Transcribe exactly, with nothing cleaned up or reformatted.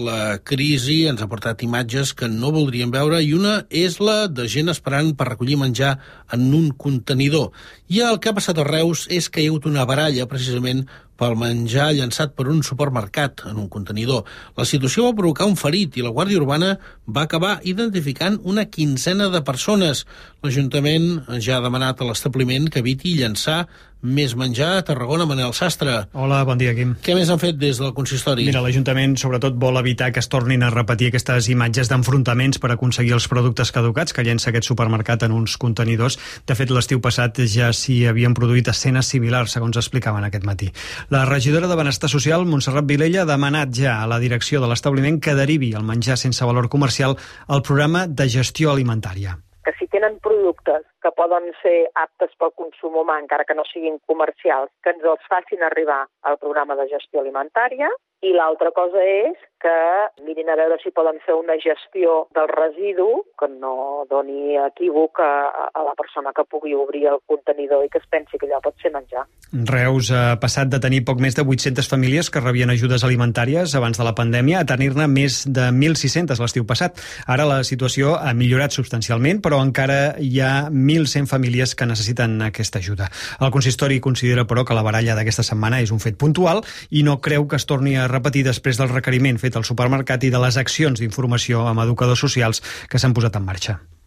La crisi ens ha portat imatges que no voldríem veure i una és la de gent esperant per recollir menjar en un contenidor. I el que ha passat a Reus és que hi ha hagut una baralla precisament pel menjar llançat per un supermercat en un contenidor. La situació va provocar un ferit i la Guàrdia Urbana va acabar identificant una quinzena de persones. L'Ajuntament ja ha demanat a l'establiment que eviti llançar més menjar a Tarragona. Manel Sastre. Hola, bon dia, Quim. Què més han fet des del consistori? Mira, l'Ajuntament sobretot vol evitar que es tornin a repetir aquestes imatges d'enfrontaments per aconseguir els productes caducats que llença aquest supermercat en uns contenidors. De fet, l'estiu passat ja s'hi havien produït escenes similars, segons explicaven aquest matí. La regidora de Benestar Social, Montserrat Vilella, ha demanat ja a la direcció de l'establiment que derivi el menjar sense valor comercial al programa de gestió alimentària. Que si tenen productes que poden ser aptes pel consum humà, encara que no siguin comercials, que ens els facin arribar al programa de gestió alimentària. I l'altra cosa és que mirin a veure si poden fer una gestió del residu que no doni equívoc a, a la persona que pugui obrir el contenidor i que es pensi que allò pot ser menjar. Reus ha passat de tenir poc més de vuit-centes famílies que rebien ajudes alimentàries abans de la pandèmia a tenir-ne més de mil sis-centes l'estiu passat. Ara la situació ha millorat substancialment, però encara hi ha mil cent famílies que necessiten aquesta ajuda. El consistori considera, però, que la baralla d'aquesta setmana és un fet puntual i no creu que es torni a repetir després del requeriment fet al supermercat i de les accions d'informació amb educadors socials que s'han posat en marxa.